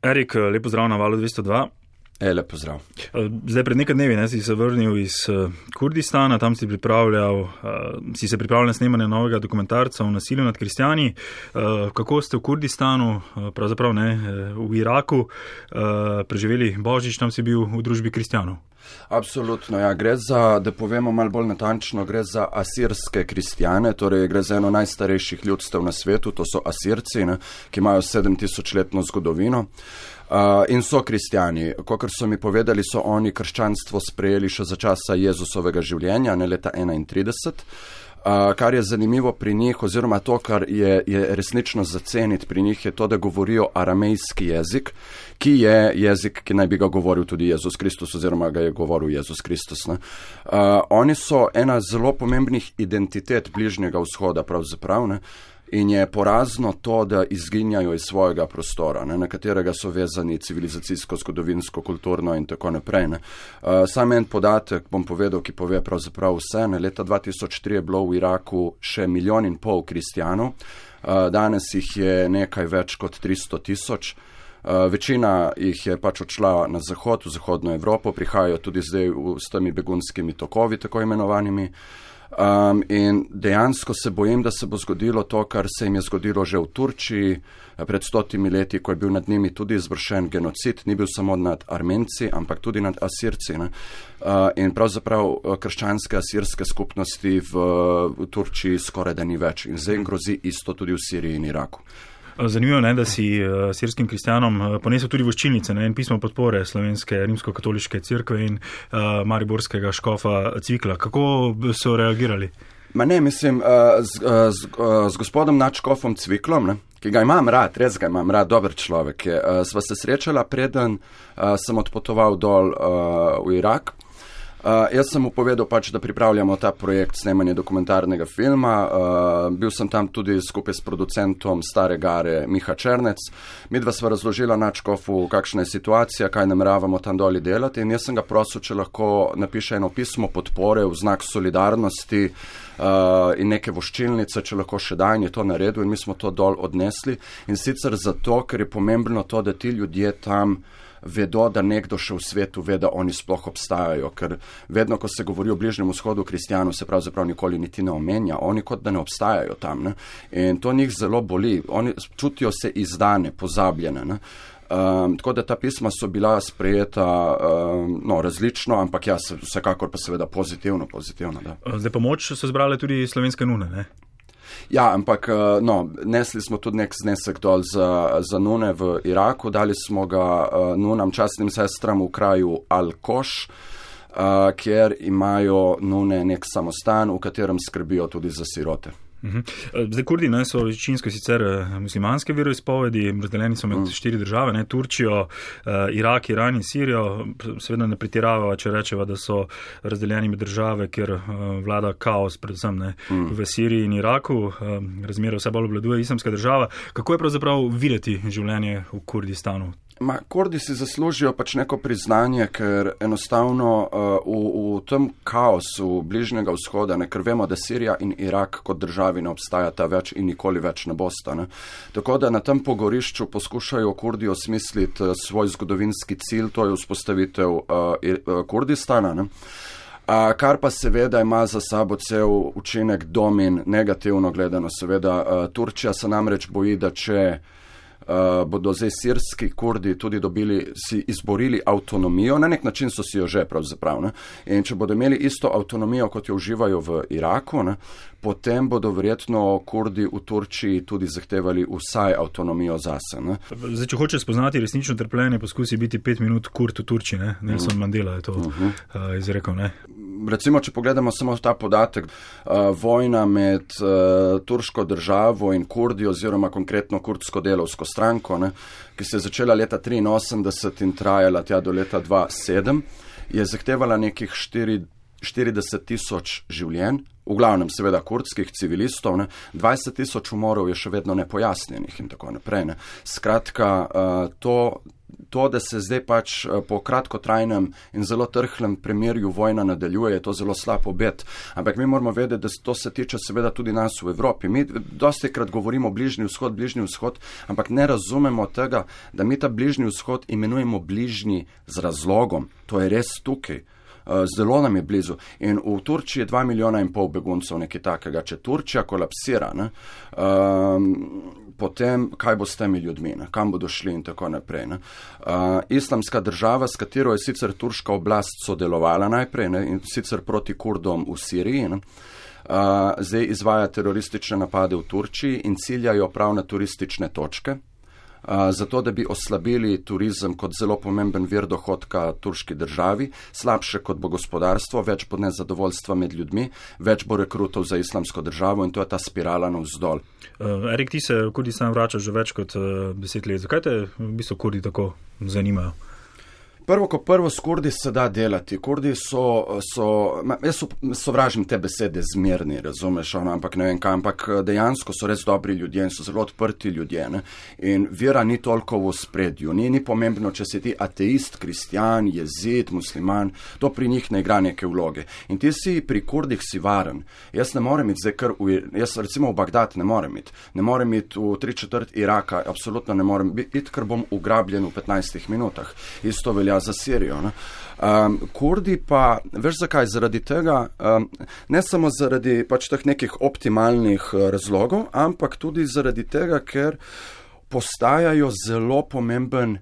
Erik, lepo zdrav na Valu 202. Lepo zdrav. Zdaj pred nekaj dnevi si se vrnil iz Kurdistana, tam si se pripravljal na snemanje novega dokumentarca o nasilju nad kristjani. Kako ste v Kurdistanu, pravzaprav ne, v Iraku, preživeli Božič, tam si bil v družbi kristjanov? Absolutno, ja. Gre za, da povemo malo bolj natančno, gre za asirske kristjane, torej gre za eno najstarejših ljudstev na svetu, to so Asirci, ki imajo 7000-letno zgodovino. In so kristjani. Kakor so mi povedali, so oni krščanstvo sprejeli še za časa Jezusovega življenja, ne leta 31. Kar je zanimivo pri njih, oziroma to, kar je resnično zaceniti pri njih, je to, da govorijo aramejski jezik, ki je jezik, ki naj bi ga govoril tudi Jezus Kristus, oziroma ga je govoril Jezus Kristus. Oni so ena zelo pomembnih identitet Bližnjega vzhoda, pravzaprav, ne? In je porazno to, da izginjajo iz svojega prostora, na katerega so vezani civilizacijsko, zgodovinsko, kulturno in tako naprej. Sam en podatek bom povedal, ki pove pravzaprav vse. Leta 2003 je bilo v Iraku še 1,5 milijona kristjanov, danes jih je nekaj več kot 300 000. Večina jih je pač odšla na zahod, v zahodno Evropo, prihajajo tudi zdaj s temi begunskimi tokovi, tako imenovanimi. In dejansko se bojim, da se bo zgodilo to, kar se jim je zgodilo že v Turčiji pred 100 leti, ko je bil nad njimi tudi izvršen genocid, ni bil samo nad Armenci, ampak tudi nad Asirci. In pravzaprav krščanske asirske skupnosti v Turčiji skoraj da ni več. In zdaj grozi isto tudi v Siriji in Iraku. Zanimivo je, da si sirskim kristjanom ponesel tudi voščilnice, en pismo podpore Slovenske rimsko-katoliške cerkve in mariborskega škofa Cvikla. Kako so reagirali? Mislim, z gospodom nadškofom Cviklom, ki ga imam rad, res ga imam rad, dober človek je. Sva se srečala, preden sem odpotoval dol v Irak. Jaz sem mu povedal pač, da pripravljamo ta projekt snemanja dokumentarnega filma. Bil sem tam tudi skupaj s producentom Stare Gare Miha Černec. Midva sva razložila nadškofu, kakšna je situacija, kaj nameravamo tam doli delati, in jaz sem ga prosil, če lahko napiše eno pismo podpore v znak solidarnosti in neke voščilnice, če lahko še da, in je to naredil in mi smo to dol odnesli. In sicer zato, ker je pomembno to, da ti ljudje tam vedo, da nekdo še v svetu ve, da oni sploh obstajajo, ker vedno, ko se govori o Bližnjem vzhodu kristjanov, se pravzaprav nikoli niti ne omenja, oni kot da ne obstajajo tam. In to njih zelo boli, oni čutijo se izdane, pozabljene. Tako da ta pisma so bila sprejeta različno, ampak vsekakor pa seveda pozitivno. Da. Zdaj pomoč so zbrale tudi slovenske nune, ne? Ja, ampak nesli smo tudi nek znesek dol za nune v Iraku, dali smo ga nunam, častnim sestram v kraju Al-Koš, kjer imajo nune nek samostan, v katerem skrbijo tudi za sirote. Zdaj Kurdi so večinsko sicer muslimanske veroizpovedi, razdeljeni so med 4 države, Turčijo, Irak, Iran in Sirijo. Seveda ne pretirava, če rečeva, da so razdeljeni med države, kjer vlada kaos, predvsem v Siriji in Iraku, razmere vse bolj obvladuje Islamska država. Kako je pravzaprav videti življenje v Kurdistanu? Kurdi si zaslužijo pač neko priznanje, ker enostavno v tem kaosu Bližnjega vzhoda, ker vemo, da Sirija in Irak kot državi ne obstajata več in nikoli več ne bosta. Tako da na tem pogorišču poskušajo Kurdi osmisliti svoj zgodovinski cilj, to je vzpostavitev Kurdistana. Kar pa seveda ima za sabo cel učinek domin, negativno gledano. Seveda Turčija se namreč boji, da če bodo zdaj sirski Kurdi tudi si izborili avtonomijo, na nek način so si jo že pravzaprav. In če bodo imeli isto avtonomijo, kot jo uživajo v Iraku, potem bodo verjetno Kurdi v Turčiji tudi zahtevali vsaj avtonomijo zase. Zdaj, če hoče spoznati resnično trpljenje, poskusi biti 5 minut Kurd v Turčiji, Nelson Mandela je to izrekel, Recimo, če pogledamo samo ta podatek, vojna med turško državo in Kurdi, oziroma konkretno kurdsko delovsko stranko, ki se je začela leta 1983 in trajala tja do leta 2007, je zahtevala nekih 40 000 življenj, v glavnem seveda kurdskih civilistov, 20 000 umorov je še vedno nepojasnjenih in tako naprej. Skratka, to to, da se zdaj pač po kratkotrajnem in zelo trhlem premirju vojna nadaljuje, je to zelo slab obet. Ampak mi moramo vedeti, da to se tiče seveda tudi nas v Evropi. Mi dosti krat govorimo Bližnji vzhod, ampak ne razumemo tega, da mi ta Bližnji vzhod imenujemo bližnji z razlogom. To je res tukaj. Zelo nam je blizu. In v Turčiji je 2,5 milijona beguncev, nekaj takega. Če Turčija kolapsira, potem kaj bo s temi ljudmi, kam bodo šli in tako naprej. Islamska država, s katero je sicer turška oblast sodelovala najprej, in sicer proti Kurdom v Siriji, zdaj izvaja teroristične napade v Turčiji in ciljajo prav na turistične točke, zato da bi oslabili turizem kot zelo pomemben vir dohodka turški državi, slabše kot bo gospodarstvo, več bo nezadovoljstva med ljudmi, več bo rekrutov za islamsko državo in to je ta spirala navzdol. Erik, ti se v Kurdistan vračaš že več kot 10 let. Zakaj te v bistvu Kurdi tako zanimajo? Prvo, ko prvo s Kurdi se da delati. Kurdi jaz sovražim te besede zmerni, razumeš, ampak ne vem kaj, ampak dejansko so res dobri ljudje in so zelo odprti ljudje. Ne? In vera ni toliko v spredju. Ni pomembno, če si ti ateist, kristjan, jezid, musliman, to pri njih ne igra neke vloge. In ti si pri Kurdih si varen. Jaz ne morem iti jaz recimo v Bagdad ne morem iti. Ne morem iti v 3/4 Iraka, absolutno ne morem iti, ker bom ugrabljen v 15 minutah. Isto velja za Sirijo. Kurdi pa, veš zakaj, zaradi tega, ne samo zaradi pač teh nekih optimalnih razlogov, ampak tudi zaradi tega, ker postajajo zelo pomemben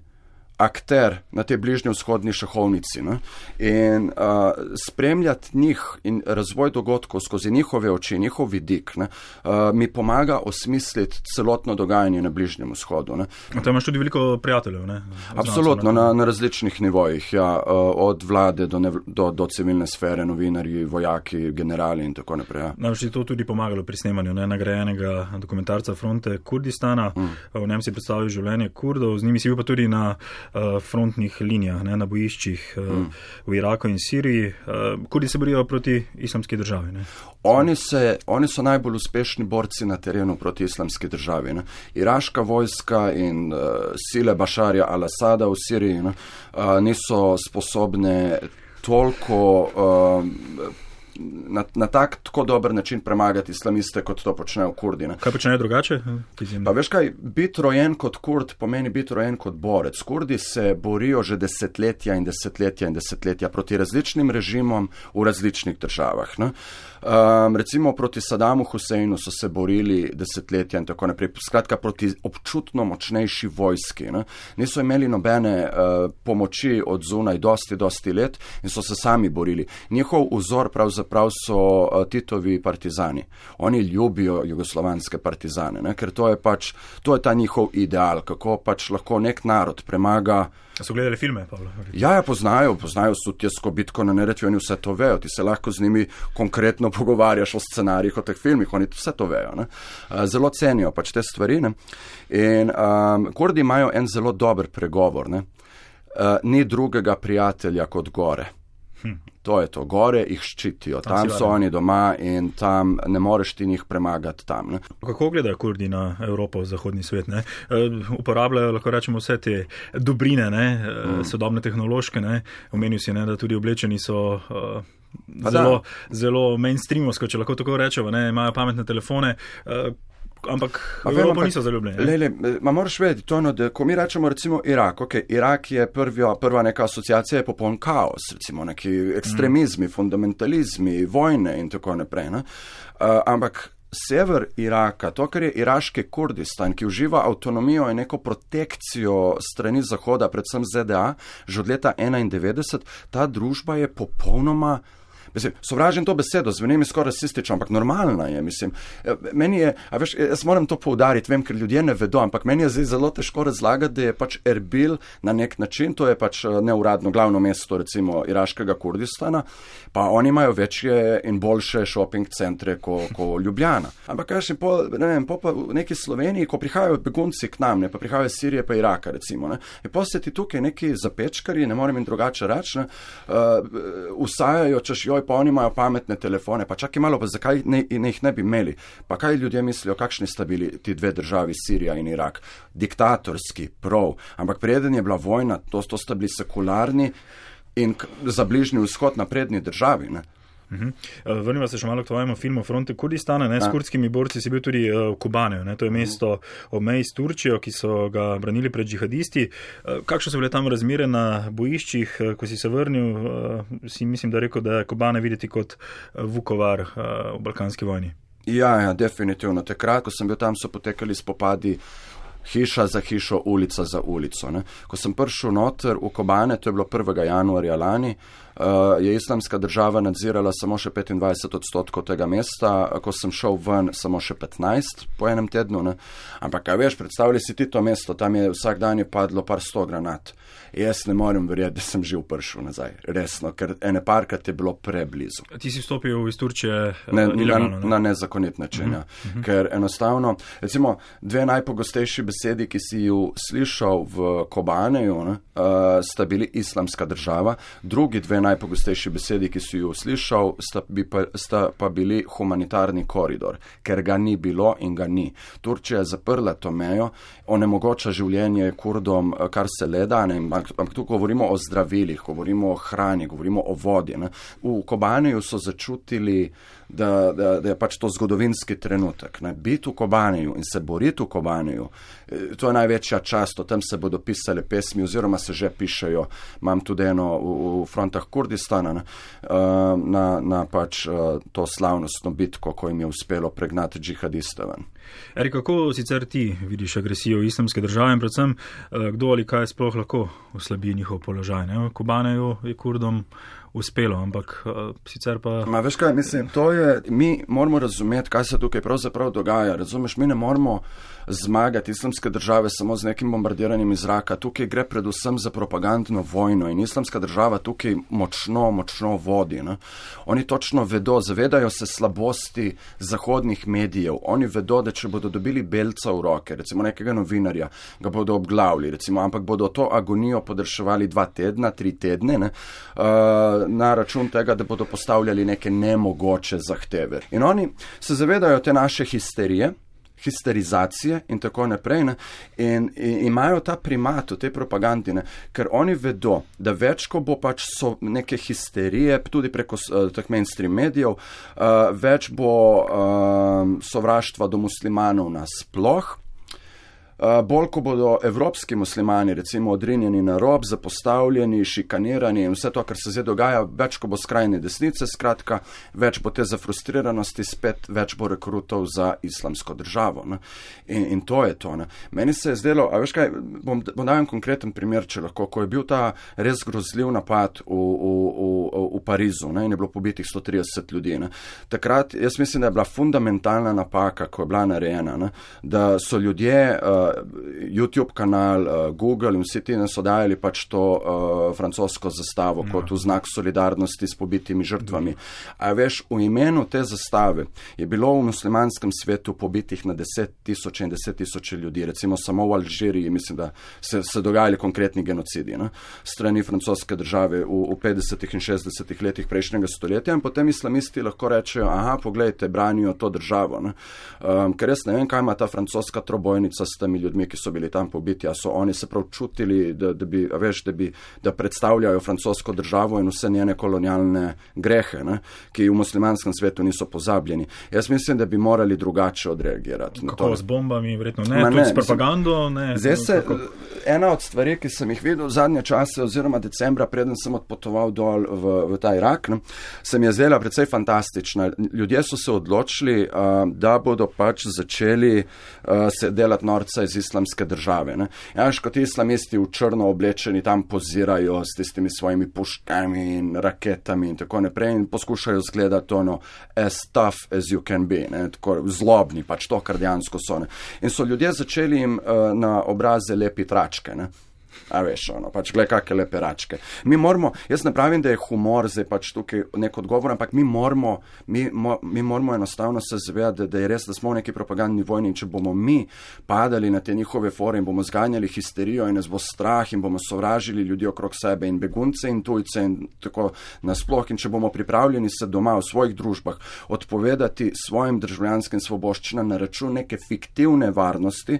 akter na tej bližnjevzhodni šahovnici. In spremljati njih in razvoj dogodkov skozi njihove oči, njihov vidik, mi pomaga osmisliti celotno dogajanje na Bližnjem vzhodu. Tam imaš tudi veliko prijateljev, ne? Absolutno, na različnih nivojih, ja, od vlade do civilne sfere, novinarji, vojaki, generali in tako naprej. Ja. Nam je to tudi pomagalo pri snemanju nagrajenega dokumentarca Fronte Kurdistana. V njem si predstavil življenje Kurdov, z njimi si bil pa tudi na frontnih linijah, na bojiščih v Iraku in Siriji. Kurdi se borijo proti islamski državi. Ne? Oni so najbolj uspešni borci na terenu proti islamski državi. Iraška vojska in sile Bašarja al-Asada v Siriji niso sposobne toliko na tako dober način premagati islamiste, kot to počnejo Kurdi. Kaj počnejo drugače? Pa veš kaj, biti rojen kot Kurd pomeni biti rojen kot borec. Kurdi se borijo že desetletja in desetletja in desetletja proti različnim režimom v različnih državah. Recimo proti Sadamu Huseinu so se borili desetletja in tako naprej. Skratka, proti občutno močnejši vojski. Niso imeli nobene pomoči od zunaj dosti let in so se sami borili. Njihov vzor pravzaprav so Titovi partizani. Oni ljubijo jugoslovanske partizane, ker to je ta njihov ideal, kako pač lahko nek narod premaga. So gledali filme, Pavlo? Ja, poznajo Sutjesko bitko na Neretvi, oni vse to vejo, ti se lahko z njimi konkretno pogovarjaš o scenarijih, o teh filmih, oni vse to vejo. Zelo cenijo pač te stvari. In Kurdi imajo en zelo dober pregovor. Ni drugega prijatelja kot gore. To je to, gore jih ščitijo, tam so oni doma in tam ne moreš ti njih premagati tam. Kako gledajo Kurdi na Evropo, zahodni svet? Uporabljajo, lahko rečemo, vse te dobrine, sodobne tehnološke, omenil si, da tudi oblečeni so zelo mainstreamovsko, če lahko tako rečemo, imajo pametne telefone, ampak v Evropo niso zaljubljeni. Moraš vedeti, da ko mi rečemo recimo Irak, Irak je prva neka asociacija, je popoln kaos, recimo neki ekstremizmi, fundamentalizmi, vojne in tako naprej. Ampak sever Iraka, to, kar je iraški Kurdistan, ki uživa avtonomijo in neko protekcijo strani Zahoda, predvsem ZDA, že od leta 1991, ta družba je popolnoma sovražim to besedo, zveni mi skoraj rasistično, ampak normalna je, mislim. Meni je, jaz moram to poudariti, vem, ker ljudje ne vedo, ampak meni je zdaj zelo težko razlagati, da je pač Erbil na nek način, to je pač neuradno glavno mesto, recimo, iraškega Kurdistana, pa oni imajo večje in boljše shopping centre kot Ljubljana. Ampak po v neki Sloveniji, ko prihajajo begunci k nam, pa prihajajo iz Sirije pa Iraka, recimo, je posjeti tukaj neki zapečkari, ne morem jim drugače reči, usajajo, češ, joj, pa oni imajo pametne telefone, pa čakaj malo, pa zakaj jih ne bi imeli? Pa kaj ljudje mislijo, kakšni sta bili ti dve državi, Sirija in Irak? Diktatorski, prav, ampak preden je bila vojna, to sta bili sekularni in za Bližnji vzhod napredni državi, ne? Vrniva se še malo k tvojemu filmu Fronte Kurdistana. S kurdskimi borci si bil tudi v Kobaneju. To je mesto ob meji s Turčijo, ki so ga branili pred džihadisti. Kakšne so bile tam razmere na bojiščih? Ko si se vrnil, si mislim, da rekel, da je Kobane videti kot Vukovar v balkanski vojni. Ja, definitivno. Takrat, ko sem bil tam, so potekali spopadi hiša za hišo, ulica za ulico. Ne. Ko sem prišel noter v Kobane, to je bilo 1. januarja lani, je Islamska država nadzirala samo še 25% tega mesta, ko sem šel ven samo še 15 po enem tednu. Ne. Ampak, kaj veš, predstavljaj si ti to mesto, tam je vsak dan je padlo par 100 granat. Jaz ne morem verjeti, da sem živ prišel nazaj, resno, ker ene parkrat je bilo preblizu. Ti si vstopil iz Turčije ilegalno? Na nezakonit način, ker enostavno, recimo, dve najpogostejši besedi, ki si ju slišal v Kobaneju, sta bili Islamska država, drugi dve najpogostejši besedi, ki si ju slišal, sta pa bili humanitarni koridor, ker ga ni bilo in ga ni. Turčija je zaprla to mejo, onemogoča življenje Kurdom, kar se le da, ampak tu govorimo o zdravilih, govorimo o hrani, govorimo o vodi. Ne. V Kobaneju so začutili, da je pač to zgodovinski trenutek. Ne. Biti v Kobaneju in se boriti v Kobaneju, to je največja čast, o tem se bodo pisale pesmi, oziroma se že pišejo. Imam tudi eno v frontah Kurdistana, na pač to slavnostno bitko, ko jim je uspelo pregnati džihadiste ven. Erik, kako sicer ti vidiš agresijo Islamske države in predvsem, kdo ali kaj sploh lahko oslabi njihov položaj? Ne? Kobaneju je Kurdom uspelo, ampak sicer pa... Veš kaj, mislim, mi moramo razumeti, kaj se tukaj pravzaprav dogaja. Razumeš, mi ne moramo zmagati Islamske države samo z nekim bombardiranjem iz zraka. Tukaj gre predvsem za propagandno vojno in Islamska država tukaj močno vodi. Ne? Oni točno vedo, zavedajo se slabosti zahodnih medijev. Oni vedo, da če bodo dobili belca v roke, recimo nekega novinarja, ga bodo obglavili, recimo, ampak bodo to agonijo podaljševali 2 tedna, 3 tedne, ne? Na račun tega, da bodo postavljali neke nemogoče zahteve. In oni se zavedajo te naše histerizacije in tako naprej, ne? In imajo ta primat v tej propagandi, ne? Ker oni vedo, da več, ko bo pač so neke histerije, tudi preko teh mainstream medijev, več bo sovraštva do muslimanov nasploh, bolj, ko bodo evropski muslimani, recimo, odrinjeni na rob, zapostavljeni, šikanirani in vse to, kar se zdaj dogaja, več, ko bo skrajne desnice, skratka, več bo te zafrustriranosti, spet več bo rekrutov za Islamsko državo. Ne? In to je to. Ne? Meni se je zdelo, a veš kaj, bom dal en konkreten primer, če lahko, ko je bil ta res grozljiv napad v Parizu, ne? In je bilo pobitih 130 ljudi. Ne? Takrat, jaz mislim, da je bila fundamentalna napaka, ko je bila narejena, ne? Da so ljudje, YouTube kanal, Google in vsi ti nas odajali pač to francosko zastavo kot v znak solidarnosti s pobitimi žrtvami. A veš, v imenu te zastave je bilo v muslimanskem svetu pobitih na 10,000 in 10,000 ljudi. Recimo samo v Alžiriji, mislim, da se dogajali konkretni genocidi, ne? Strani francoske države v 50. in 60. letih prejšnjega stoletja in potem islamisti lahko rečejo, aha, poglejte, branijo to državo. Ne? Ker jaz ne vem, kaj ima ta francoska trobojnica s temi ljudmi, ki so bili tam pobiti, a so oni se prav čutili, da predstavljajo francosko državo in vse njene kolonialne grehe, ne, ki v muslimanskem svetu niso pozabljeni. Jaz mislim, da bi morali drugače odreagirati. Kako, z bombami, verjetno ne, tudi s propagando? Zdaj se, ena od stvari, ki sem jih videl zadnje čase, oziroma decembra, preden sem odpotoval dol v ta Irak, ne, se mi je zdela precej fantastična. Ljudje so se odločili, da bodo pač začeli se delati norca iz Islamske države. Ne. Jaš, kot islamisti v črno oblečeni tam pozirajo s tistimi svojimi puškami in raketami in tako naprej in poskušajo zgledati ono as tough as you can be, ne, tako zlobni, pač to, kar dejansko so. Ne. In so ljudje začeli jim na obraze lepiti tračke. Ne. A veš, pač gled kakšne lepe račke. Mi moramo, jaz ne pravim, da je humor zdaj pač tukaj nek odgovor, ampak mi moramo enostavno se zavedati, da je res, da smo v neki propagandni vojni in če bomo mi padali na te njihove fore in bomo zganjali histerijo in nas bo strah in bomo sovražili ljudi okrog sebe in begunce in tujce in tako nasploh in če bomo pripravljeni se doma v svojih družbah odpovedati svojim državljanskim svoboščinam na račun neke fiktivne varnosti,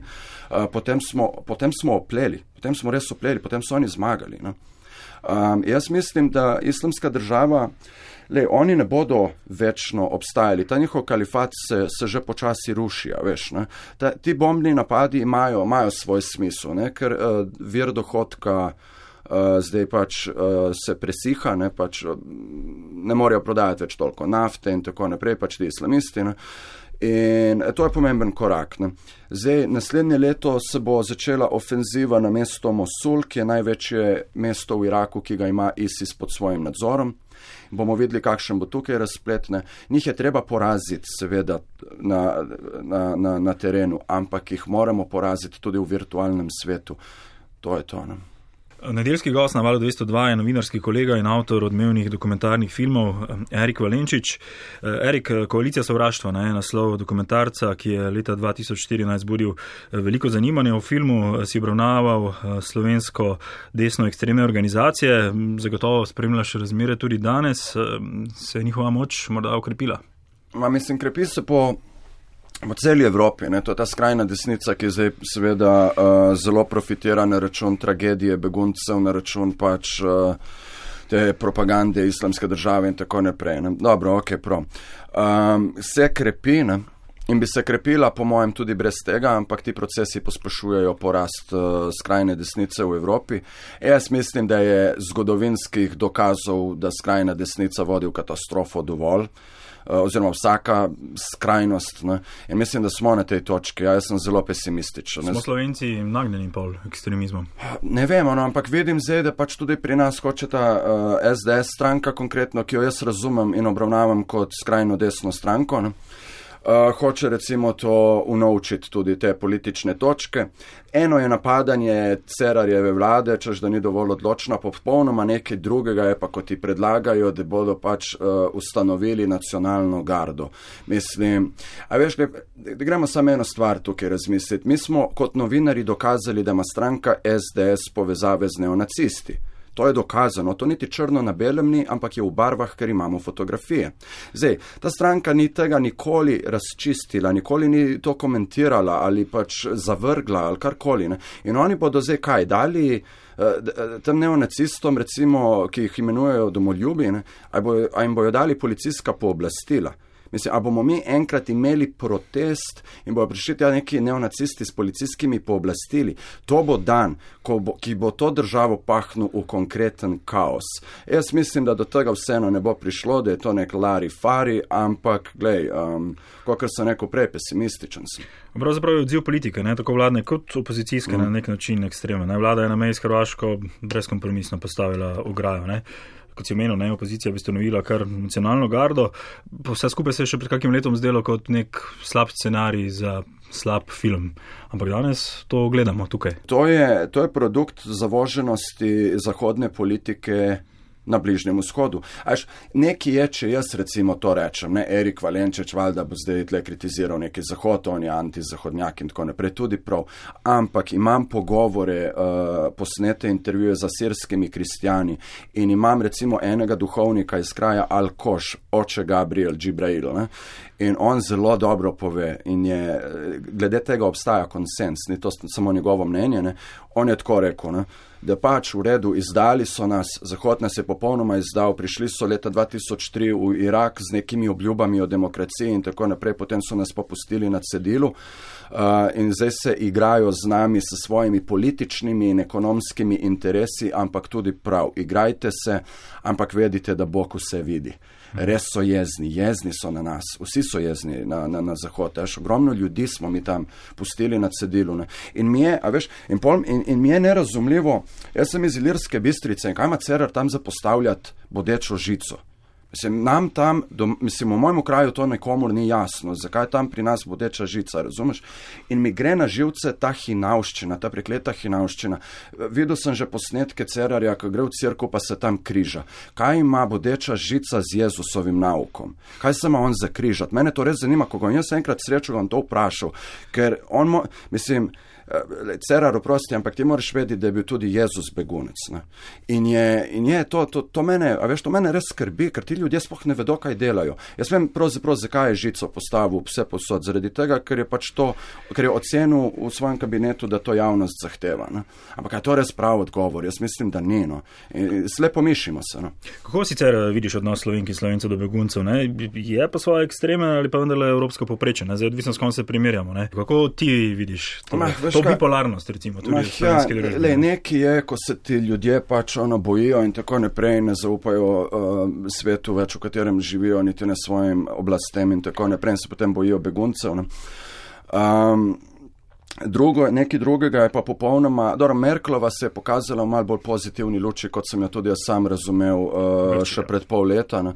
potem smo opleli. Potem smo res opleli, potem so oni zmagali. No? Jaz mislim, da islamska država, oni ne bodo večno obstajali. Ta njihov kalifat se že počasi ruši, veš. Ne? Ti bombni napadi imajo svoj smisel, ne? Ker vir dohodka zdaj pač se presiha, ne? Pač ne morejo prodajati več toliko nafte in tako naprej, pač ti islamisti. Ne? In to je pomemben korak. Ne? Zdaj, naslednje leto se bo začela ofenziva na mesto Mosul, ki je največje mesto v Iraku, ki ga ima ISIS pod svojim nadzorom. Bomo videli, kakšen bo tukaj razplet. Njih je treba poraziti, seveda, na terenu, ampak jih moramo poraziti tudi v virtualnem svetu. To je to, ne? Nedeljski gost na Valu 202 je novinarski kolega in avtor odmevnih dokumentarnih filmov Erik Valenčič. Erik, Koalicija sovraštva je naslov dokumentarca, ki je leta 2014 budil veliko zanimanja. V filmu si obravnaval slovensko desno ekstremne organizacije. Zagotovo spremljaš razmere tudi danes. Se je njihova moč morda okrepila? Mislim, krepi se po celi Evropi, ne? To je ta skrajna desnica, ki zdaj seveda zelo profitira na račun tragedije beguncev, na račun pač te propagande islamske države in tako naprej. Ne? Dobro, se krepi, ne? In bi se krepila, po mojem, tudi brez tega, ampak ti procesi pospešujejo porast skrajne desnice v Evropi. Jaz mislim, da je zgodovinskih dokazov, da skrajna desnica vodi v katastrofo dovolj, oziroma vsaka skrajnost. Ne? In mislim, da smo na tej točki. Jaz sem zelo pesimističen. Smo Slovenci nagnjeni pol ekstremizmom? Ne vem, ampak vidim zdaj, da pač tudi pri nas hoče ta SDS stranka konkretno, ki jo jaz razumem in obravnavam kot skrajno desno stranko, ne? Hoče recimo to unovčiti tudi te politične točke. Eno je napadanje Cerarjeve vlade, češ da ni dovolj odločna, popolnoma nekaj drugega je pa, ko ti predlagajo, da bodo pač ustanovili nacionalno gardo. Mislim, a veš, da gremo samo eno stvar tukaj razmisliti. Mi smo kot novinari dokazali, da ima stranka SDS povezave z neonacisti. To je dokazano, to niti črno na belem ni, ampak je v barvah, ker imamo fotografije. Zdaj, ta stranka ni tega nikoli razčistila, nikoli ni to komentirala ali pač zavrgla ali karkoli. Ne? In oni bodo zdaj kaj dali tem neonacistom, recimo, ki jih imenujejo domoljubi, a jim bojo dali policijska pooblastila. Mislim, a bomo mi enkrat imeli protest in bojo prišli tja neki neonacisti s policijskimi pooblastili. To bo dan, ki bo to državo pahnil v konkreten kaos. Jaz mislim, da do tega vseeno ne bo prišlo, da je to nek lari-fari, ampak, glej, kakor sem rekel prej, pesimističen sem. Pravzaprav je odziv politike, ne, tako vladne kot opozicijske na nek način ekstremne. Vlada je na meji s Hrvaško brezkompromisno postavila ograjo, ne. Kot si omenil, opozicija bi ustanovila kar nacionalno gardo. Vse skupaj se je še pred kakim letom zdelo kot nek slab scenarij za slab film. Ampak danes to gledamo tukaj. To je produkt zavoženosti zahodne politike na Bližnjem vzhodu. Nekaj je, če jaz recimo to rečem, ne, Erik Valenčič valjda bo zdaj tle kritiziral neki zahod, on je antizahodnjak in tako naprej, tudi prav. Ampak imam pogovore, posnete intervjuje z asirskimi kristjani in imam recimo enega duhovnika iz kraja Al-Koš, oče Gabriel Džibrail, ne, in on zelo dobro pove in je, glede tega obstaja konsens, ni to samo njegovo mnenje, ne, on je tako rekel, ne, da pač v redu izdali so nas, Zahod nas je popolnoma izdal, prišli so leta 2003 v Irak z nekimi obljubami o demokraciji in tako naprej, potem so nas popustili na cedilu in zdaj se igrajo z nami s svojimi političnimi in ekonomskimi interesi, ampak tudi prav, igrajte se, ampak vedite, da Bog vse vidi. Res so jezni so na nas, vsi so jezni na Zahod, ogromno ljudi smo mi tam pustili na cedilu. Ne? In mi je, in mi je nerazumljivo, jaz sem iz Ilirske Bistrice in kaj ima Cerar tam zapostavljati bodečo žico? Nam tam, v mojem kraju to nekomur ni jasno, zakaj tam pri nas bodeča žica, razumeš? In mi gre na živce ta hinavščina, ta prekleta hinavščina. Videl sem že posnetke Cerarja, ko gre v cerkev, pa se tam križa. Kaj ima bodeča žica z Jezusovim naukom? Kaj se ima on zakrižati? Mene to res zanima, ko ga jaz enkrat srečal, vam to vprašal, ker on, Cerar, oprosti, ampak ti moraš vedeti, da je bil tudi Jezus begunec. Ne? In je to mene, a veš, to mene res skrbi, ker ti ljudje sploh ne vedo, kaj delajo. Jaz vem pravzaprav, zakaj je žico postavil vse posod, zaradi tega, ker je pač to, ker je ocenil v svojem kabinetu, da to javnost zahteva. Ne? Ampak je to res prav odgovor? Jaz mislim, da ni. No? Slepo mišimo se. No? Kako sicer vidiš odnos Slovenk in Slovencev do beguncev? Ne? Je pa svoje ekstreme ali pa vendarle evropsko povprečje? Zdaj odvisno, s kom se primerjamo. Ne? Kako ti vidiš to bipolarnost, recimo, tudi v slovenski družbi? Nekaj je, ko se ti ljudje pač bojijo in tako naprej, ne zaupajo svetu več, v katerem živijo, niti ne svojim oblastem in tako naprej, in se potem bojijo beguncev. Ne? Nekaj drugega je pa popolnoma, Merklova se je pokazala v malo bolj pozitivni luči, kot sem jo tudi jaz sam razumel še pred pol leta. Ne.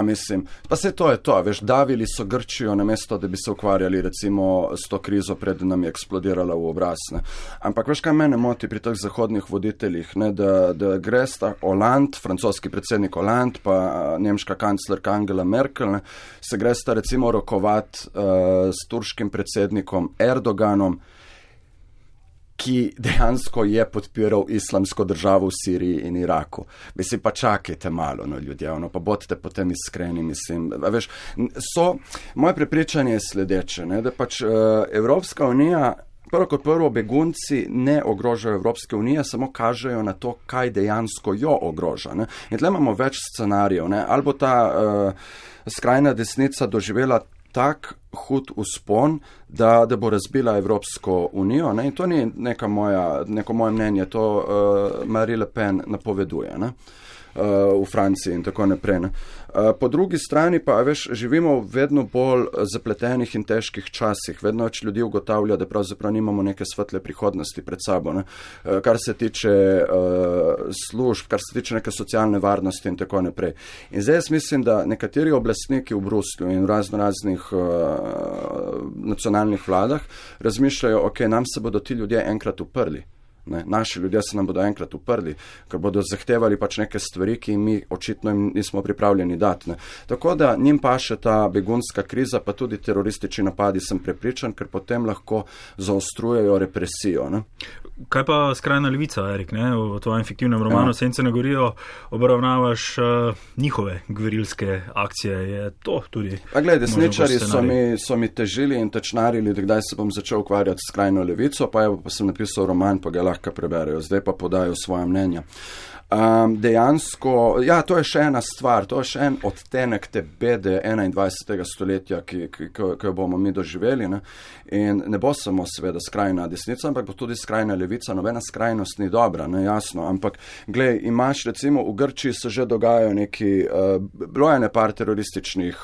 Mislim, pa se to je to, veš, davili so Grčijo namesto, da bi se ukvarjali recimo s to krizo, pred nam je eksplodirala v obraz. Ne. Ampak veš, kaj mene moti pri teh zahodnih voditeljih, ne, da gre sta Hollande, francoski predsednik Hollande, pa nemška kanclerka Angela Merkel, ne, se gre sta recimo rokovati s turškim predsednikom Erdoganom, ki dejansko je podpiral islamsko državo v Siriji in Iraku. Mislim, pa čakajte malo, no, ljudje, pa bodite potem iskreni, mislim. Veš, moje prepričanje je sledeče, ne, da pač Evropska unija, prvo kot prvo, begunci ne ogrožajo Evropske unije, samo kažejo na to, kaj dejansko jo ogroža. Ne. In tle imamo več scenarijev, ne. Ali bo ta skrajna desnica doživela tak hud vzpon, da bo razbila Evropsko unijo. Ne? In to ni neko moje mnenje, to Marine Le Pen napoveduje, ne? V Franciji in tako naprej. Ne? Po drugi strani pa, veš, živimo v vedno bolj zapletenih in težkih časih. Vedno več ljudi ugotavlja, da pravzaprav nimamo neke svetle prihodnosti pred sabo. Ne? Kar se tiče služb, kar se tiče neke socialne varnosti in tako naprej. In zdaj jaz mislim, da nekateri oblastniki v Bruslju in v raznih nacionalnih vladah razmišljajo, nam se bodo ti ljudje enkrat uprli. Ne, naši ljudje se nam bodo enkrat uprli, ker bodo zahtevali pač neke stvari, ki mi očitno nismo pripravljeni dati. Ne. Tako da njim paše ta begunska kriza, pa tudi teroristični napadi, sem prepričan, ker potem lahko zaostrujejo represijo. Ne. Kaj pa skrajna levica, Erik, ne? V tvojem fiktivnem romanu Sence na gorijo obravnavaš njihove gverilske akcije. Je to tudi? Pa glej, desničari so mi težili in tečnarili, da kdaj se bom začel ukvarjati s skrajno levico, pa sem napisal roman, pa ga lahko preberejo. Zdaj pa podajo svoje mnenja. Dejansko, to je še ena stvar, to je še en odtenek te bede 21. stoletja, ki jo bomo mi doživeli. Ne? In ne bo samo seveda skrajna desnica, ampak bo tudi skrajna levica. Nobena skrajnost ni dobra, ne, jasno. Ampak, glej, imaš recimo v Grčiji se že dogajajo neki, bilo je par terorističnih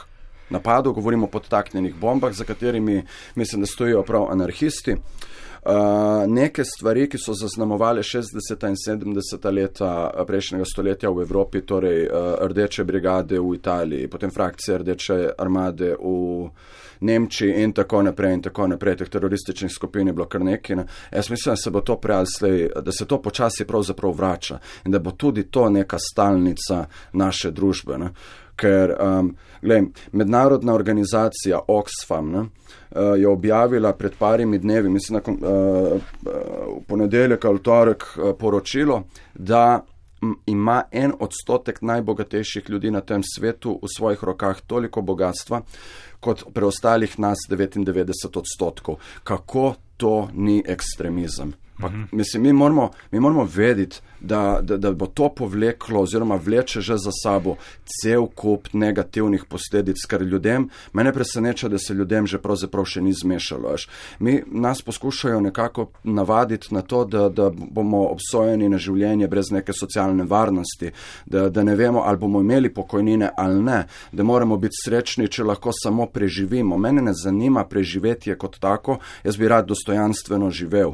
napadov, govorimo o podtaknjenih bombah, za katerimi mislim, da stojijo prav anarhisti. Neke stvari, ki so zaznamovali 60. in 70. leta prejšnjega stoletja v Evropi, torej rdeče brigade v Italiji, potem frakcije rdeče armade v Nemčiji in tako naprej, teh terorističnih skupin je bilo kar nekaj. Ne. Jaz mislim, da se bo to da se to počasi pravzaprav vrača in da bo tudi to neka stalnica naše družbe. Ne. Ker, mednarodna organizacija Oxfam, ne, je objavila pred parimi dnevi, mislim, v ponedeljek ali torek poročilo, da ima 1% najbogatejših ljudi na tem svetu v svojih rokah toliko bogatstva, kot preostalih nas 99%. Kako to ni ekstremizem? Pa, mislim, mi moramo vedeti, da bo to povleklo oziroma vleče že za sabo cel kup negativnih posledic, ker mene preseneča, da se ljudem že pravzaprav še ni zmešalo. Nas poskušajo nekako navaditi na to, da bomo obsojeni na življenje brez neke socialne varnosti, da ne vemo, ali bomo imeli pokojnine ali ne, da moramo biti srečni, če lahko samo preživimo. Mene ne zanima preživetje kot tako, jaz bi rad dostojanstveno živel.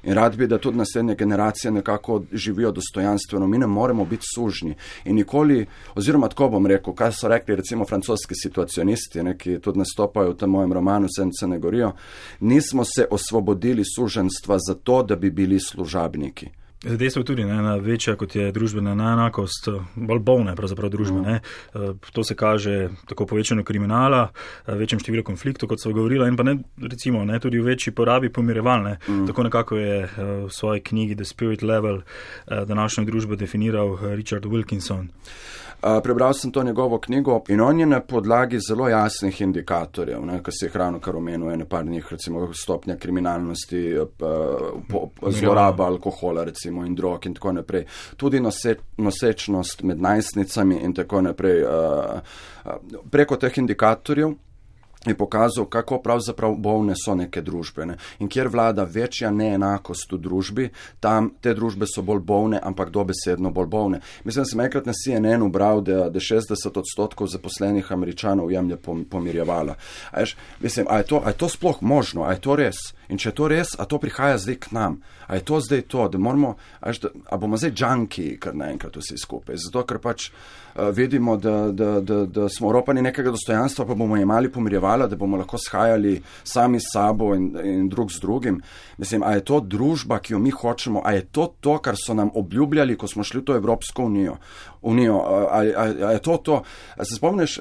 In rad bi, da tudi naslednje generacije nekako živijo dostojanstveno. Mi ne moremo biti sužni. In nikoli, oziroma tako bom rekel, kaj so rekli recimo francoski situacionisti, ki tudi nastopajo v tem mojem romanu Sence ne gorijo, nismo se osvobodili suženstva zato, da bi bili služabniki. Dejstvo je tudi ena večja, kot je družbena neenakost, bolj bolne pravzaprav družbe. Ne. To se kaže tako povečano kriminala, večjem številu konfliktov, kot so govorila, in pa ne, recimo, ne, tudi v večji porabi pomirevalne. Tako nekako je v svoji knjigi The Spirit Level današnjo družbo definiral Richard Wilkinson. Prebral sem to njegovo knjigo in on je na podlagi zelo jasnih indikatorjev, ki se jih ravno kar omenil, par njih, recimo stopnja kriminalnosti, zloraba alkohola recimo in drog in tako naprej, tudi nosečnost med najstnicami in tako naprej. Preko teh indikatorjev je pokazal, kako pravzaprav bolne so neke družbe. Ne? In kjer vlada večja neenakost v družbi, tam te družbe so bolj bolne, ampak dobesedno bolj bolne. Mislim, da sem enkrat na CNN bral, da 60% zaposlenih Američanov jemlje pomirjevala. Mislim, a je to sploh možno? A je to res? In če je to res, a to prihaja zdaj k nam? A je to zdaj to, da moramo, a bomo zdaj džanki, kar naenkrat vsi skupaj? Zato, ker pač vidimo, da smo oropani nekega dostojanstva, pa bomo imeli pomirjevala, da bomo lahko shajali sami s sabo in drug z drugim. Mislim, a je to družba, ki jo mi hočemo? A je to, kar so nam obljubljali, ko smo šli v to Evropsko unijo? A je to? A se spomniš,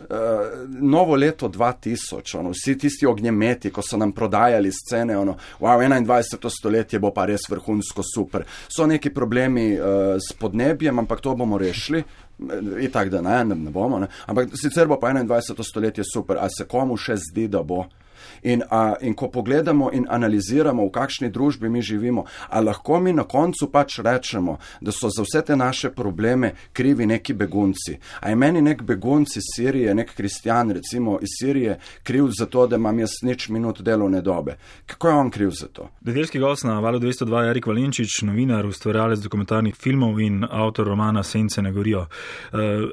novo leto 2000, vsi tisti ognjemeti, ko so nam prodajali scene, wow, 21. stoletje bo pa res vrhunsko super. So neki problemi s podnebjem, ampak to bomo rešili. I tak, da ne bomo. Ne? Ampak sicer bo pa 21. stoletje super. A se komu še zdi, da bo? In ko pogledamo in analiziramo, v kakšni družbi mi živimo, a lahko mi na koncu pač rečemo, da so za vse te naše probleme krivi neki begunci. A je meni nek begunc iz Sirije, nek kristjan recimo iz Sirije, kriv za to, da imam jaz nič minut delovne dobe? Kako je on kriv za to? Nedeljski gost na Valu 202 je Erik Valenčič, novinar, ustvarjalec dokumentarnih filmov in avtor romana Sence ne gorijo.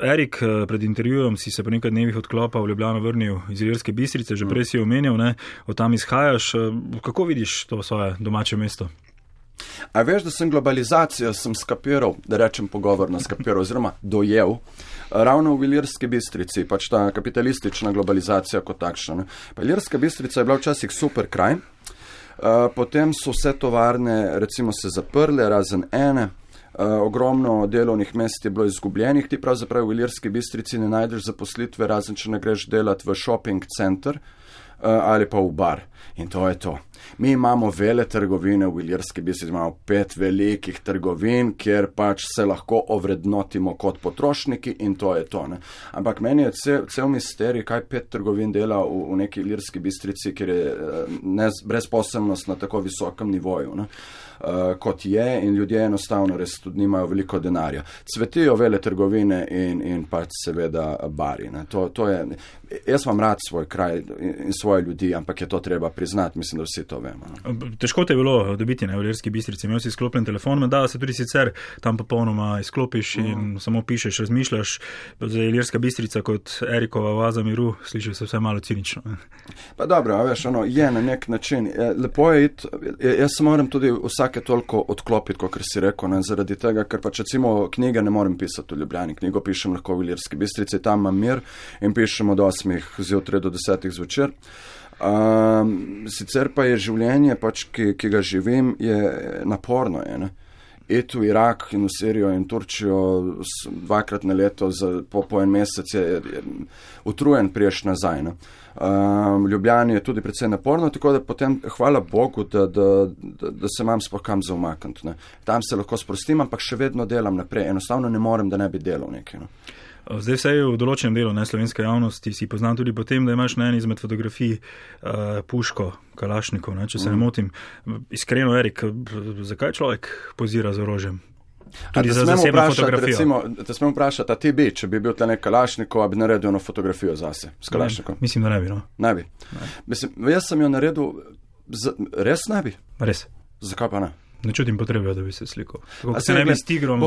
Erik, pred intervjujem si se po nekaj dnevih odklopa v Ljubljano vrnil iz Ilirske Bistrice, že prej si omenil, od tam izhajaš. Kako vidiš to svoje domače mesto? A veš, da sem globalizacijo skapiral, da rečem pogovorno skapiral, oziroma dojel, ravno v Ilirski Bistrici, pač ta kapitalistična globalizacija kot takšna. Pa Ilirska Bistrica je bila včasih super kraj, potem so vse tovarne recimo se zaprle, razen ene, ogromno delovnih mest je bilo izgubljenih, ti pravzaprav v Ilirski Bistrici ne najdeš zaposlitve, razen če ne greš delati v shopping center ali pa v bar. In to je to. Mi imamo vele trgovine v Ilirski Bistrici, imamo 5 velikih trgovin, kjer pač se lahko ovrednotimo kot potrošniki in to je to. Ne? Ampak meni je cel misterij, kaj 5 trgovin dela v neki Ilirski Bistrici, kjer je brezposelnost na tako visokem nivoju, ne? Kot je, in ljudje enostavno res tudi nimajo veliko denarja. Cvetijo vele trgovine in pač seveda bari. Ne? To je, jaz imam rad svoj kraj in svoje ljudi, ampak je to treba priznati, mislim, da vsi to vemo. Ne? Težko te je bilo dobiti v Ilirski Bistrici, imel si izklopljen telefon, da se tudi sicer tam popolnoma izklopiš in samo pišeš, razmišljaš. Za Ilirska Bistrica kot Erikova oaza miru, sliši se vse malo cinično. Pa dobro, veš, je na nek način. Lepo je iti, jaz se moram tudi vsake toliko odklopiti, kot si rekel, ne, zaradi tega, ker pač recimo knjige ne morem pisati v Ljubljani, knjigo pišem lahko v Ilirski Bistrici, tam imam mir in pišem od 8 zjutraj do 10 zvečer. Sicer pa je življenje, pač, ki ga živim, je naporno. Je, iti v Irak in v Sirijo in Turčijo 2-krat na leto, po en mesec je utrujen priješ nazaj. Ne. V Ljubljani je tudi precej naporno, tako da potem hvala Bogu, da se imam sploh kam za umakniti. Tam se lahko sprostim, ampak še vedno delam naprej. Enostavno ne morem, da ne bi delal nekaj. Zdaj vse je v določenem delu slovenske javnosti, si poznam tudi po tem, da imaš na eni izmed fotografij puško Kalašnikov, če se ne motim. Iskreno, Erik, zakaj človek pozira z orožjem? Tudi za zasebno fotografijo. Te smem vprašati, a ti bi, če bi bil tle nek Kalašnikov, a bi naredil eno fotografijo zase s Kalašnikom? Mislim, da ne bi, no. Ne bi. Mislim, jaz sem jo naredil, res ne bi? Res. Zakaj pa ne? Ne čutim potrebe, da bi se slikal. Kako se ne bi s tigrom v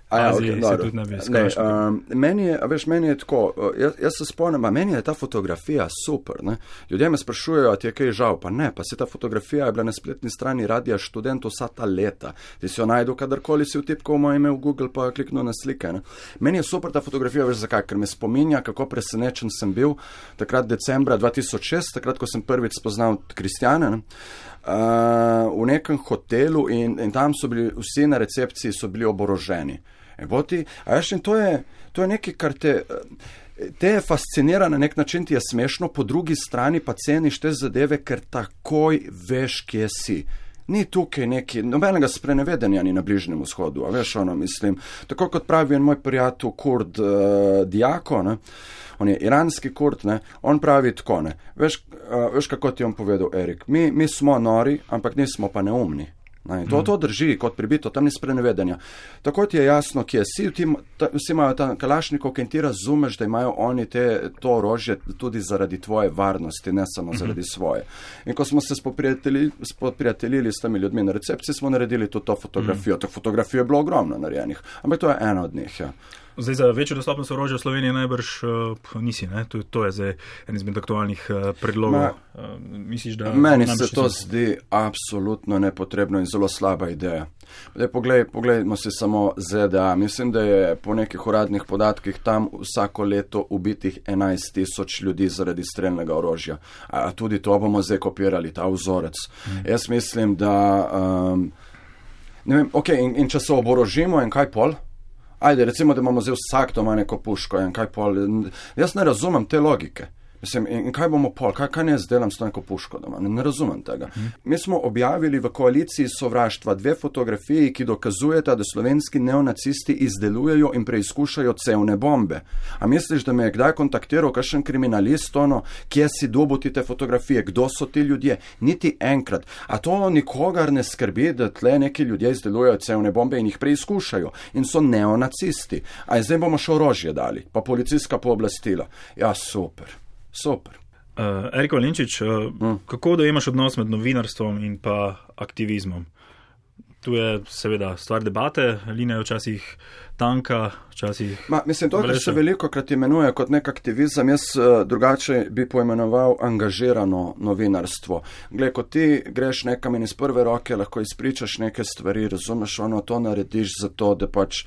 Aziji, se tudi ne bi slikal. Meni je tako, jaz se spomnim, meni je ta fotografija super. Ne? Ljudje me sprašujejo, a ti je kaj žal, pa ne, pa se ta fotografija je bila na spletni strani Radia Študent vsa ta leta. Ti si jo najdu, kadarkoli si vtipkal moje ime v Google, pa kliknil na slike. Ne? Meni je super ta fotografija, veš zakaj, ker me spominja, kako presenečen sem bil takrat decembra 2006, takrat, ko sem prvič spoznal Kristjane, v nekem hotelu in tam so bili vsi na recepciji so bili oboroženi. To je nekaj, kar te fascinira na nek način, ti je smešno, po drugi strani pa ceniš te zadeve, ker takoj veš, kje si. Ni tukaj nobenega sprenevedenja ni na Bližnjem vzhodu, a veš, mislim, tako kot pravi en moj prijatelj Kurd Diako, ne, on je iranski Kurd, ne, on pravi tako, ne, veš kako ti je on povedal, Erik, mi smo nori, ampak nismo pa neumni. To drži kot pribito, tam ni sprenevedenja. Tako ti je jasno, kje si, vsi imajo ta kalašnikov, in ti razumeš, da imajo oni to orožje tudi zaradi tvoje varnosti, ne samo zaradi svoje. In ko smo se spoprijateljili s temi ljudmi na recepciji, smo naredili tudi to fotografijo. To fotografijo je bilo ogromno narejenih, ampak to je ena od njih, ja. Zdaj, za večjo dostopnost orožja v Sloveniji najbrž nisi, ne? To je zdaj en izmed aktualnih predlogov. Misliš, da... Meni se to zdi absolutno nepotrebno in zelo slaba ideja. Poglejmo si samo ZDA. Mislim, da je po nekih uradnih podatkih tam vsako leto ubitih 11,000 ljudi zaradi strelnega orožja. A tudi to bomo zdaj kopirali, ta vzorec. Jaz mislim, da... ne vem, in če se oborožimo in kaj pol? Ajde, recimo, da imamo zdaj vsak doma neko puško in kaj pol. Jaz ne razumem te logike. Mislim, in kaj bomo pol? Kaj ne jaz delam s to neko puško doma? Ne razumem tega. Mi smo objavili v koaliciji sovraštva 2 fotografiji, ki dokazujeta, da slovenski neonacisti izdelujejo in preizkušajo cevne bombe. A misliš, da me je kdaj kontaktiral kakšen kriminalist, kje si dobil te fotografije, kdo so ti ljudje? Niti enkrat. A to nikogar ne skrbi, da tle neki ljudje izdelujejo cevne bombe in jih preizkušajo in so neonacisti. A zdaj bomo še orožje dali, pa policijska pooblastila. Ja, super. Super. Erik Valenčič, kako dojemaš odnos med novinarstvom in pa aktivizmom? Tu je seveda stvar debate, linija je včasih tanka, včasih... Mislim, to, kar se veliko krat imenuje kot nek aktivizem, jaz drugače bi poimenoval angažirano novinarstvo. Glej, ko ti greš nekam in iz prve roke lahko izpričaš neke stvari, razumeš, to narediš zato, da pač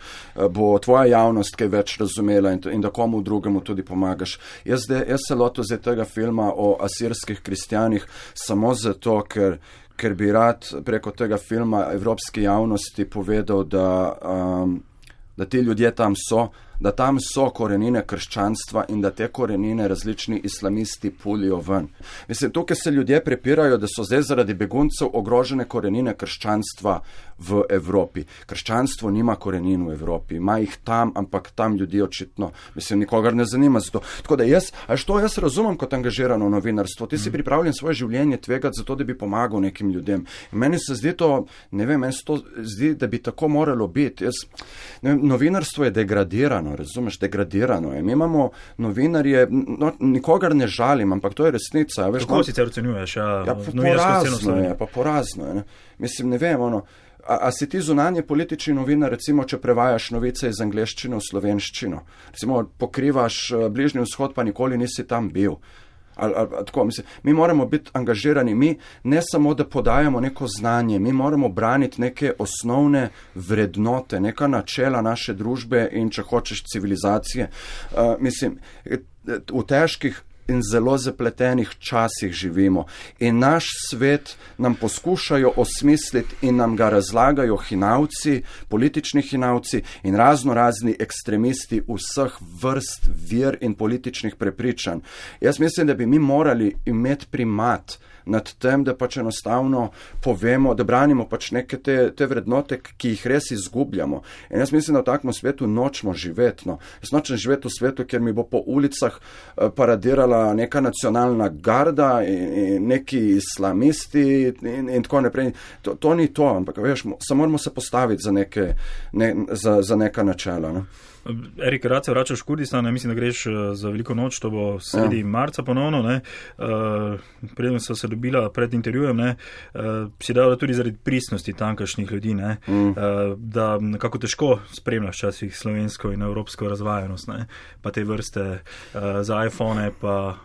bo tvoja javnost kaj več razumela in da komu drugemu tudi pomagaš. Jaz se lotil zdaj tega filma o asirskih kristjanih samo zato, ker bi rad preko tega filma evropski javnosti povedal, da ti ljudje tam so, da tam so korenine krščanstva in da te korenine različni islamisti pulijo ven. Mislim, tukaj se ljudje prepirajo, da so zdaj zaradi beguncev ogrožene korenine krščanstva v Evropi. Krščanstvo nima korenin v Evropi, ima jih tam, ampak tam ljudi očitno, mislim, nikogar ne zanima za to. Tako da jaz razumem kot angažirano novinarstvo. Ti si pripravljen svoje življenje tvegati za to, da bi pomagal nekim ljudem. In meni se zdi to, ne vem, meni se to zdi, da bi tako moralo biti. Novinarstvo je degradirano. Razumeš, degradirano je. Mi imamo novinarje, nikogar ne žalim, ampak to je resnica. Kako sicer ocenjuješ? Porazno je. Mislim, ne vem, a si ti zunanje politični novinar, recimo, če prevajaš novice iz angleščine v slovenščino? Recimo, pokrivaš Bližnji vzhod, pa nikoli nisi tam bil. Tako, mislim, mi moramo biti angažirani, mi ne samo, da podajamo neko znanje, mi moramo braniti neke osnovne vrednote, neka načela naše družbe in, če hočeš, civilizacije. Mislim, v težkih in zelo zapletenih časih živimo in naš svet nam poskušajo osmisliti in nam ga razlagajo hinavci, politični hinavci in razni ekstremisti vseh vrst, vir in političnih prepričanj. Jaz mislim, da bi mi morali imeti primat nad tem, da pač enostavno povemo, da branimo pač neke te vrednote, ki jih res izgubljamo. In jaz mislim, da v takem svetu nočemo živeti. Jaz nočem živeti v svetu, kjer mi bo po ulicah paradirala neka nacionalna garda in neki islamisti in tako naprej. To ni to, ampak veš, samo moramo se postaviti za neka načela. Ne? Erik, rad se vračaš v Kurdistan, mislim, da greš za veliko noč, to bo sredi marca ponovno. Preden so se sta dobila pred intervjujem, si dala tudi zaradi pristnosti tamkajšnjih ljudi, da nekako težko spremljaš časih slovensko in evropsko razvajanost, pa te vrste za iPhone, pa...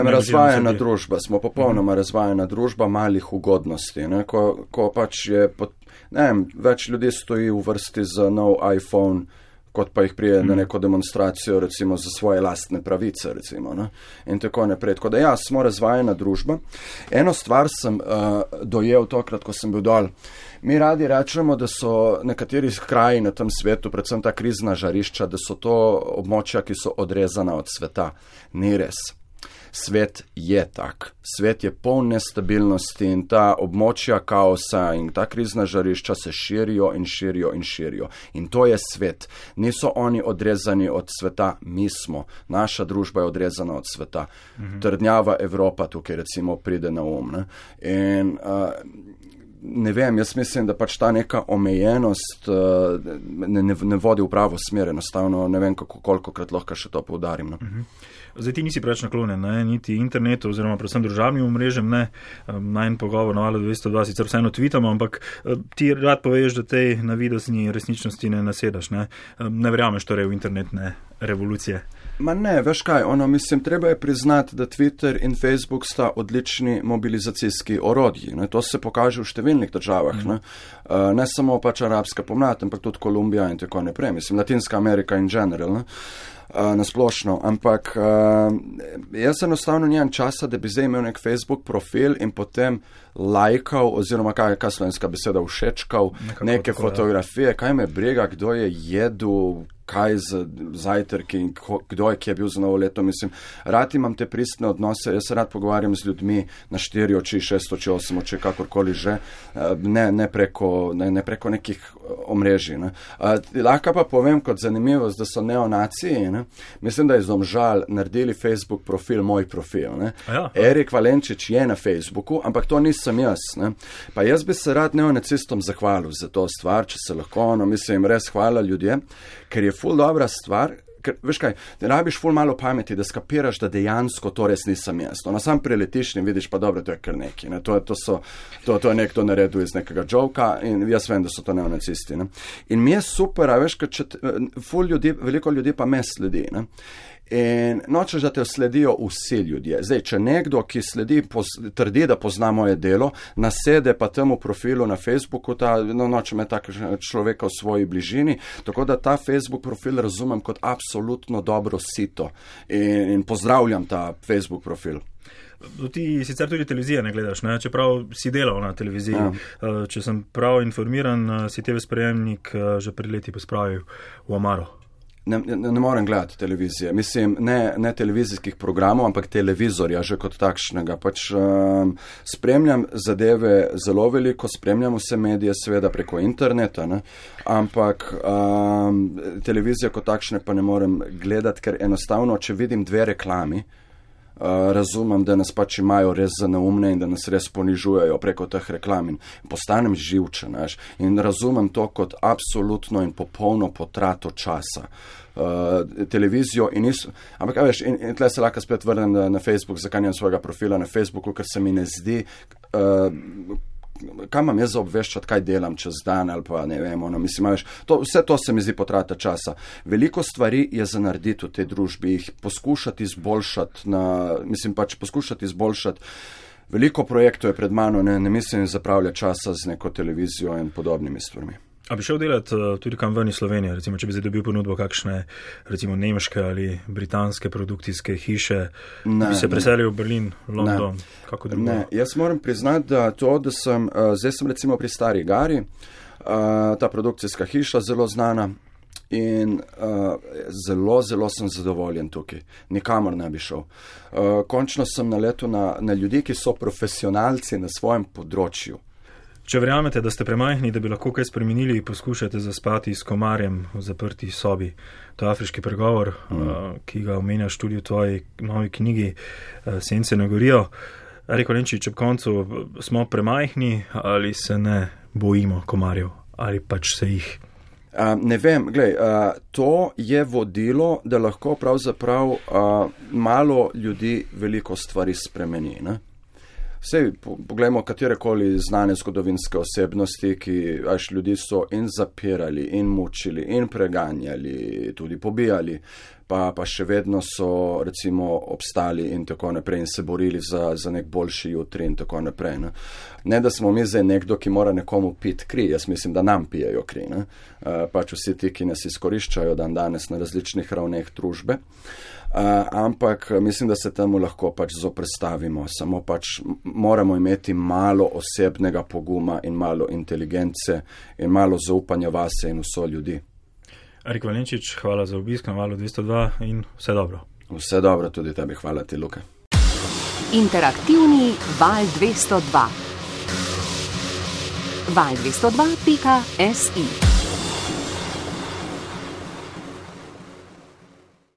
razvajena družba, smo popolnoma razvajena družba malih ugodnosti, ko pač je, več ljudi stoji v vrsti za nov iPhone, kot pa jih prije na neko demonstracijo, recimo, za svoje lastne pravice, recimo, in tako naprej. Tako da smo razvajena družba. Eno stvar sem dojel tokrat, ko sem bil dol. Mi radi rečemo, da so nekateri kraji na tem svetu, predvsem ta krizna žarišča, da so to območja, ki so odrezana od sveta. Ni res. Svet je tak. Svet je poln nestabilnosti in ta območja kaosa in ta krizna žarišča se širijo in širijo in širijo. In to je svet. Niso oni odrezani od sveta, mi smo. Naša družba je odrezana od sveta. Trdnjava Evropa tukaj recimo pride na In ne vem, jaz mislim, da pač ta neka omejenost ne vodi v pravo smer, enostavno ne vem, kolikokrat lahko še to poudarim. Zdaj ti nisi preveč naklonjen, niti internetu oziroma predvsem družabnim omrežjem, najn pogovor na Valu 202 sicer vseeno tweetamo, ampak ti rad poveš, da tej navidezni resničnosti ne nasedaš, ne verjameš torej v internetne revolucije. Ma ne, veš kaj, mislim, treba je priznati, da Twitter in Facebook sta odlični mobilizacijski orodji. To se pokaže v številnih državah. Ne samo pač arabska pomlad, ampak tudi Kolumbija in tako naprej. Mislim, Latinska Amerika in general, nasplošno. Ampak jaz enostavno nimam časa, da bi zdaj imel nek Facebook profil in potem lajkal, oziroma kaj slovenska beseda, všečkal neke fotografije, kaj me briga, kdo je jedel, kaj z zajtrki in kdo je, ki je bil za novo leto. Mislim, rad imam te pristne odnose, jaz se rad pogovarjam z ljudmi na 4 oči, 6 oči, 8 oči, kakorkoli že, ne preko nekih omrežij. Lahko pa povem kot zanimivost, da so neonaciji, mislim, da je Domžal naredili Facebook profil, moj profil. Erik Valenčič je na Facebooku, ampak to nisem jaz. Pa jaz bi se rad neonacistom zahvalil za to stvar, če se lahko, mislim, res hvala ljudje, ker je ful dobra stvar, ker, veš kaj, ne rabiš ful malo pameti, da skapiraš, da dejansko to res nisem jaz. Sam preletiš in vidiš, pa dobro, to je kar neki. To je nekdo naredil iz nekega joka in jaz vem, da so to neonacisti. In mi je super, a veš, veliko ljudi pa me sledi. In nočeš, da te sledijo vsi ljudje. Zdaj, če nekdo, ki sledi, trdi, da pozna moje delo, nasede pa temu profilu na Facebooku, noče me tak človeka v svoji bližini, tako da ta Facebook profil razumem kot absolutno dobro sito in pozdravljam ta Facebook profil. Ti sicer tudi televizije ne gledaš, čeprav si delal na televiziji. Ja. Če sem prav informiran, si TV sprejemnik že pred leti pospravil v omaro. Ne morem gledati televizije. Mislim, ne televizijskih programov, ampak televizorja že kot takšnega. Spremljam zadeve zelo veliko, spremljam vse medije, seveda preko interneta, ampak televizije kot takšne pa ne morem gledati, ker enostavno, če vidim 2 reklami, razumem, da nas pač imajo res za neumne in da nas res ponižujejo preko teh reklam in postanem živčen, in razumem to kot absolutno in popolno potrato časa. Televizijo in ampak veš, in tle se lahko spet vrnem na Facebook, zakaj nimam svojega profila na Facebooku, ker se mi ne zdi, kaj imam jaz za obveščati, kaj delam čez dan ali pa ne vem, mislim, vse to se mi zdi potrata časa. Veliko stvari je za narediti v tej družbi, jih poskušati izboljšati, poskušati izboljšati. Veliko projektov je pred mano, ne mislim zapravljati časa z neko televizijo in podobnimi stvarmi. A bi šel delati tudi kam ven iz Slovenije, recimo, če bi zdaj dobil ponudbo kakšne, recimo, nemške ali britanske produkcijske hiše, bi se preselil v Berlin, London, kako drugo? Ne, jaz moram priznati, da zdaj sem recimo pri Stari Gari, ta produkcijska hiša zelo znana in zelo sem zadovoljen tukaj. Nikamor ne bi šel. Končno sem naletel na ljudi, ki so profesionalci na svojem področju. Če verjamete, da ste premajhni, da bi lahko kaj spremenili, poskušate zaspati s komarjem v zaprti sobi. To je afriški pregovor, ki ga omenjaš tudi v tvoji novi knjigi Sence ne gorijo. Erik Valenčič, ob koncu smo premajhni ali se ne bojimo komarjev ali pač se jih? Ne vem, to je vodilo, da lahko pravzaprav malo ljudi veliko stvari spremeni, Sej, poglejmo katerekoli znane zgodovinske osebnosti, ki ljudi so in zapirali, in mučili, in preganjali, tudi pobijali, pa še vedno so recimo obstali in tako naprej in se borili za nek boljši jutri in tako naprej. Ne, da smo mi zdaj nekdo, ki mora nekomu piti kri, jaz mislim, da nam pijejo kri, pač vsi ti, ki nas izkoriščajo dan danes na različnih ravneh družbe. Ampak mislim, da se temu lahko pač zoprestavimo, samo pač moramo imeti malo osebnega poguma in malo inteligence in malo zaupanja vase in vso ljudi. Erik Valenčič, hvala za obisk na Valu 202 in vse dobro. Vse dobro, tudi tebi, hvala ti, Luka. Interaktivni Val 202. Val202.si